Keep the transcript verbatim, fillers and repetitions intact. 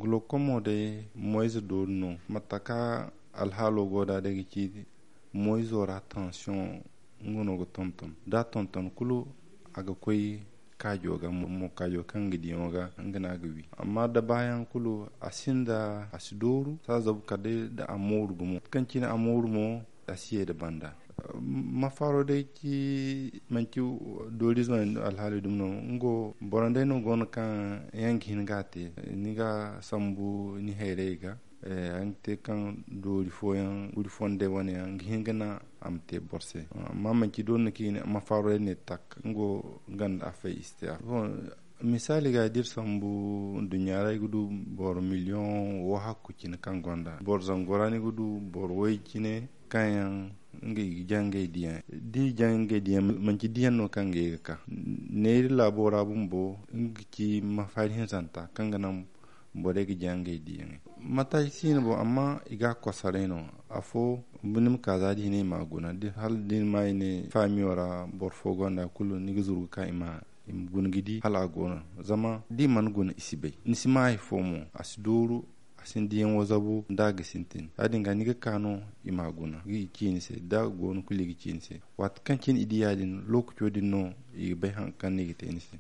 Glaucome wo day moyze dooru no. Mate ka alhaalo go da day ga ci moyzo ra tension, nga no ga tonton da tonton kulu, a ga koy kaajo ga mo kaajo kaŋ ga diyaŋo ga, nga no a ga wi. Amma da baayaŋ kulu a sinda a si dooru sa zabu kala day da a mooru gumo kaŋ cine a mooru mo, a si ye da banda. Mafaaro day ci manci doorizo alhaali dumi no. Nga boro day no go no kaŋ yaŋ ga hin ga a te. Ni ga sambu ni hayray ga, a ga te kaŋ doori fooyaŋ guri fondey wane yaŋ ga hin ga naŋ a ma te boro se. Amma manci doori no kaŋ i ne mafaaro day ne tak, nga ganda a fay i si te a fo. Misaali ga da iri sambu nduɲɲa ra, i ga du boro miliyoŋ wo hakku cine kaŋ gonda boro zango ra, ni ga du boro way cine kaŋ yaŋ nga i ga jaŋ ngey diyaŋ. Da i jaŋ ngey diyaŋ, manci diyaŋ no kaŋ ngey ga ka neeri laabo ra bumbo, nga ga ci mafaari hinzanta kaŋ ga naŋ borey ga jaŋ ngey diyaŋey. Mataasi siino boŋ amma i ga a kosaray no. Afo ni ma ka za da i ne i ma a guna, hala da ni ma i ne faamiyo ra boro fo gonda kulu, ni ga zuru ga ka i ma i ma guna ga di hala a go no. Zama da i mana guna, i si bay, ni si ma hari fo mo, a si dooru, a si ni diyaŋo zabu nda a ga sintin. Ya- din ga ni ga ka no i ma a guna ga i ci ni se, da a go no kulu i ga ci ni se. Waati kaŋ cine i di ya- din, lookaco din no i ga bay hari kaŋ no i ga te ni se.